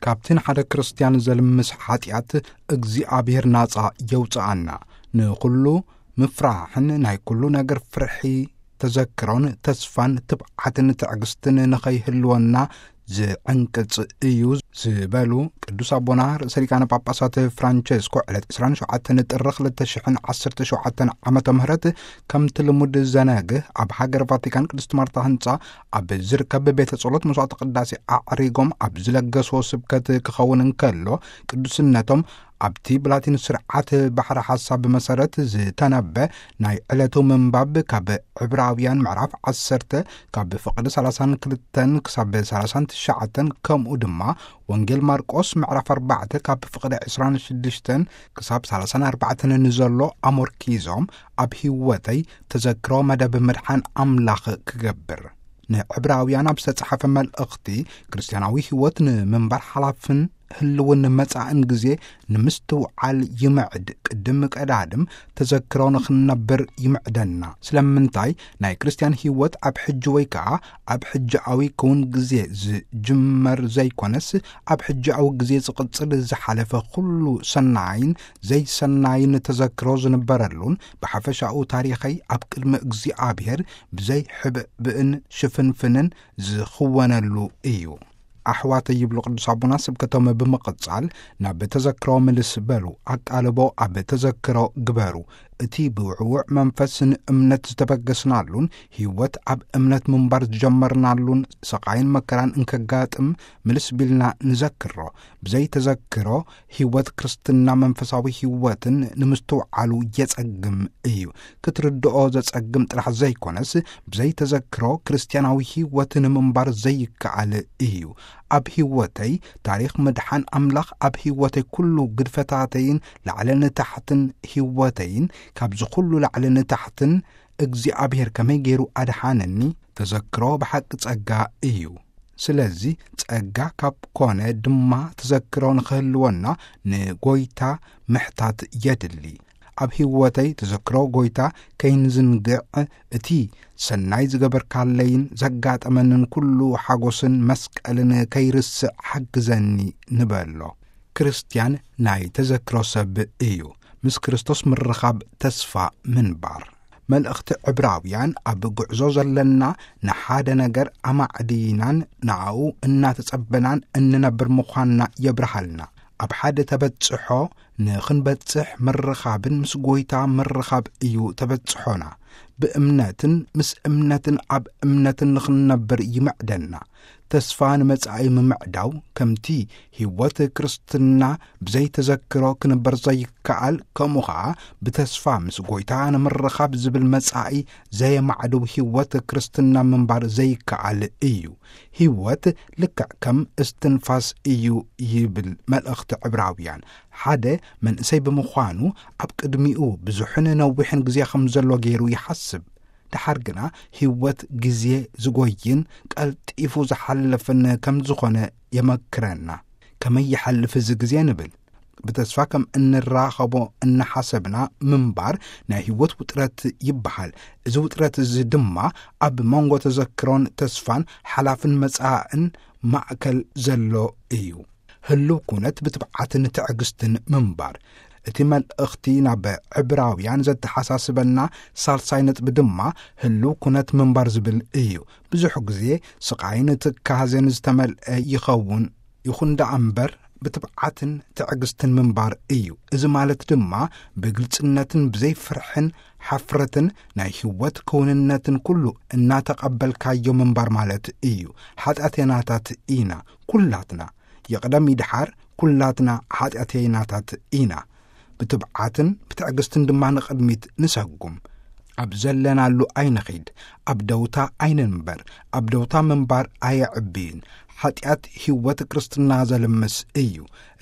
ካብቲ ንሓደ ክርስትያን ዘልምስ ሓጢኣት እግዚኣብሔር ናጻ የውጽኣና። ንኹሉ ምፍራሕን ናይ ኩሉ ነገር ፍርሒ ተዘክሮን ተስፋን ትብዓትን ትዕግስትን ንኸይህልወና ዝዕንቅጽ እዩ ዝበሉ ቅዱስ ኣቦና ርእሰ ሊቃነ ጳጳሳት ፍራንቸስኮ ዕለት ዕስራን ሸውዓተን ጥሪ ክልተ ሽሕን ዓሰርተ ሸውዓተን ዓመተ ምህረት ከምቲ ልሙድ ዘነግህ ኣብ ሃገር ቫቲካን ቅድስት ማርታ ህንጻ ኣብ ዝርከብ ቤተ ጸሎት መስዋዕቲ ቅዳሴ ኣዕሪጎም ኣብ ዝለገስዎ ስብከት ክኸውን እንከሎ ቅዱስነቶም ኣብቲ ብላቲን ስርዓት ባሕሪ ሓሳብ መሰረት ዝተነበ ናይ ዕለቱ ምንባብ ካብ ዕብራውያን ምዕራፍ ዓሰርተ ካብ ፍቕዲ ሰላሳን ክልተን ክሳብ ሰላሳን ትሽዓተን ከምኡ ድማ ወንጌል ማርቆስ ምዕራፍ ኣርባዕተ ካብ ፍቕዲ ዕስራን ሽዱሽተን ክሳብ ሰላሳን ኣርባዕተን ንዘሎ ኣሞርኪዞም ኣብ ህይወተይ ተዘክሮ መደብ ምድሓን ኣምላኽ ክገብር ንዕብራውያን ኣብ ዝተጻሓፈ መልእኽቲ ክርስትያናዊ ህይወት ንምንባር ሓላፍን ህልውን መጻእን ግዜ ንምስትውዓል ይምዕድ። ቅድም ቀዳድም ተዘክሮ ንኽንነብር ይምዕደና። ስለምንታይ ናይ ክርስትያን ህይወት ኣብ ሕጂ ወይ ከኣ ኣብ ሕጂኣዊ ክውን ግዜ ዝጅመር ዘይኮነስ ኣብ ሕጂኣዊ ግዜ ዝቕጽል ዝሓለፈ ኩሉ ሰናይን ዘይሰናይን ተዘክሮ ዝንበረሉን ብሓፈሻኡ ታሪኸይ ኣብ ቅድሚ እግዚኣብሔር ብዘይ ሕብእብእን ሽፍንፍንን ዝኽወነሉ እዩ። ኣሕዋተይ ይብሉ ቅዱስ ኣቦና ስብከቶም ብምቕጻል ናብ ተዘክሮ ምልስ በሉ፣ ኣቃልቦ ኣብ ተዘክሮ ግበሩ። እቲ ብውዕውዕ መንፈስን እምነት ዝተበገስናሉን ህይወት ኣብ እምነት ምንባር ዝጀመርናሉን ስቓይን መከራን እንከጋጥም ምልስ ቢልና ንዘክሮ። ብዘይ ተዘክሮ ህይወት ክርስትና መንፈሳዊ ህይወትን ንምስትውዓሉ የጸግም እዩ። ክትርድኦ ዘጸግም ጥራሕ ዘይኮነስ ብዘይ ተዘክሮ ክርስትያናዊ ህይወት ንምንባር ዘይከኣል እዩ። ኣብ ህይወተይ ታሪኽ ምድሓን ኣምላኽ ኣብ ህይወተይ ኩሉ ግድፈታተይን ላዕልን ታሕትን ህይወተይን ካብዚ ኩሉ ላዕልን ታሕትን እግዚኣብሔር ከመይ ገይሩ ኣድሓነኒ ተዘክሮ ብሓቂ ጸጋ እዩ። ስለዚ ጸጋ ካብ ኮነ ድማ ተዘክሮ ንኽህልወና ንጎይታ ምሕታት የድሊ። ኣብ ህይወተይ ተዘክሮ ጎይታ ከይንዝንግዕ እቲ ሰናይ ዝገበርካለይን ዘጋጠመንን ኩሉ ሓጎስን መስቀልን ከይርስዕ ሓግዘኒ ንበሎ። ክርስትያን ናይ ተዘክሮ ሰብ እዩ። ምስ ክርስቶስ ምርኻብ ተስፋ ምንባር። መልእኽቲ ዕብራውያን ኣብ ጉዕዞ ዘለና ንሓደ ነገር ኣማዕዲናን ንኣኡ እናተጸበናን እንነብር ምዃንና የብርሃልና። ኣብ ሓደ ተበጽሖ ንኽንበጽሕ ምርኻብን ምስ ጎይታ ምርኻብ እዩ ተበጽሖና። ብእምነትን ምስ እምነትን ኣብ እምነትን ንኽንነብር ይምዕደና። ተስፋ ንመጻኢ ምምዕዳው ከምቲ ህይወት ክርስትና ብዘይ ተዘክሮ ክንበር ዘይከኣል ከምኡ ኸኣ ብተስፋ ምስ ጎይታ ንምርኻብ ዝብል መጻኢ ዘየማዕድው ህይወት ክርስትና ምንባር ዘይከኣል እዩ። ህይወት ልክዕ ከም እስትንፋስ እዩ ይብል መልእኽቲ ዕብራውያን። ሓደ መንእሰይ ብምዃኑ ኣብ ቅድሚኡ ብዙሕን ነዊሕን ግዜ ከም ዘሎ ገይሩ ይሓስብ። ደሓር ግና ህይወት ግዜ ዝጎይን ቀልጢፉ ዝሓልፍን ከም ዝኾነ የመክረና። ከመይ ይሓልፍ እዚ ግዜ ንብል። ብተስፋ ከም እንራኸቦ እናሓሰብና ምንባር ናይ ህይወት ውጥረት ይበሃል። እዚ ውጥረት እዚ ድማ ኣብ መንጎ ተዘክሮን ተስፋን ሓላፍን መጻእን ማእከል ዘሎ እዩ። ህልው ኩነት ብትብዓትን ትዕግስትን ምንባር። እቲ መልእኽቲ ናብ ዕብራውያን ዘተሓሳስበና ሳልሳይ ነጥቢ ድማ ህልው ኩነት ምንባር ዝብል እዩ። ብዙሕ ግዜ ስቓይን ትካዘን ዝተመልአ ይኸውን። ይኹን ደኣ እምበር ብትብዓትን ትዕግስትን ምንባር እዩ። እዚ ማለት ድማ ብግልጽነትን ብዘይ ፍርሕን ሓፍረትን ናይ ህይወት ክውንነትን ኩሉ እናተቐበልካዮ ምንባር ማለት እዩ። ሓጢኣተናታት ኢና ኩላትና። የቕደም ይድሓር ኩላትና ሓጢኣተይናታት ኢና። ብትብዓትን ብትዕግስትን ድማ ንቕድሚት ንሰጉም። ኣብ ዘለናሉ ኣይንኺድ፣ ኣብ ደውታ ኣይንንበር። ኣብ ደውታ ምንባር ኣየዕብይን። ሓጢኣት ህይወት ክርስትና ዘልምስ እዩ።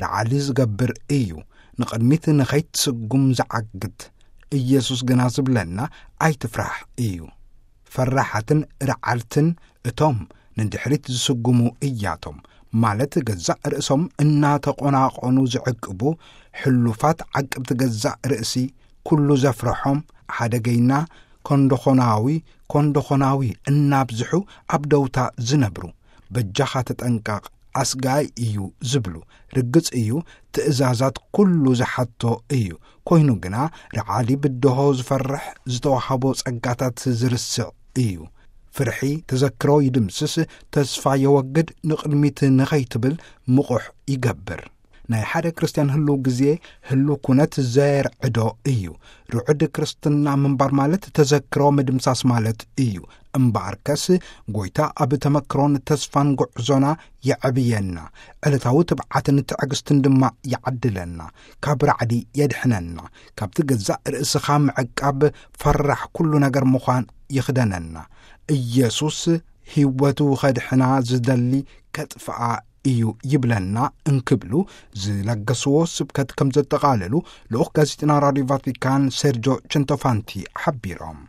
ረዓዲ ዝገብር እዩ። ንቕድሚት ንኸይትስጉም ዝዓግት። ኢየሱስ ግና ዝብለና ኣይትፍራሕ እዩ። ፈራሓትን ረዓድትን እቶም ንድሕሪት ዝስጉሙ እያቶም፣ ማለት ገዛእ ርእሶም እናተቖናቖኑ ዝዕቅቡ ሕሉፋት ዓቅብቲ ገዛእ ርእሲ፣ ኩሉ ዘፍርሖም ሓደገይና ኮንዶኾናዊ፣ ኮንዶኾናዊ እናብዝሑ ኣብ ደውታ ዝነብሩ። በጃኻ ተጠንቀቕ፣ ኣስጋይ እዩ ዝብሉ። ርግጽ እዩ፣ ትእዛዛት ኩሉ ዝሓቶ እዩ። ኮይኑ ግና፣ ርዓዲ ብድሆ ዝፈርሕ፣ ዝተዋህቦ ጸጋታት ዝርስዕ እዩ። ፍርሒ ተዘክሮ ይድምስስ፣ ተስፋ የወግድ፣ ንቕድሚት ንኸይትብል ምቑሕ ይገብር። ናይ ሓደ ክርስትያን ህልው ግዜ፣ ህልው ኩነት ዘየርዕዶ እዩ። ርዑድ ክርስትና ምንባር ማለት ተዘክሮ ምድምሳስ ማለት እዩ። እምበኣርከስ፣ ጎይታ ኣብ ተመክሮን ተስፋን ጉዕዞና የዕብየና፣ ዕለታዊ ትብዓትን ትዕግስትን ድማ ይዓድለና፣ ካብ ራዕዲ የድሕነና፣ ካብቲ ገዛእ ርእስኻ ምዕቃብ ፈራሕ ኩሉ ነገር ምዃን ይኽደነና። ኢየሱስ ህይወቱ ኸድሕና ዝደሊ ከጥፍኣ እዩ ይብለና እንክብሉ ዝለገስዎ ስብከት ከም ዘጠቓለሉ ልኡኽ ጋዜጠና ራድዮ ቫቲካን ሴርጆ ቸንቶፋንቲ ሓቢሮም።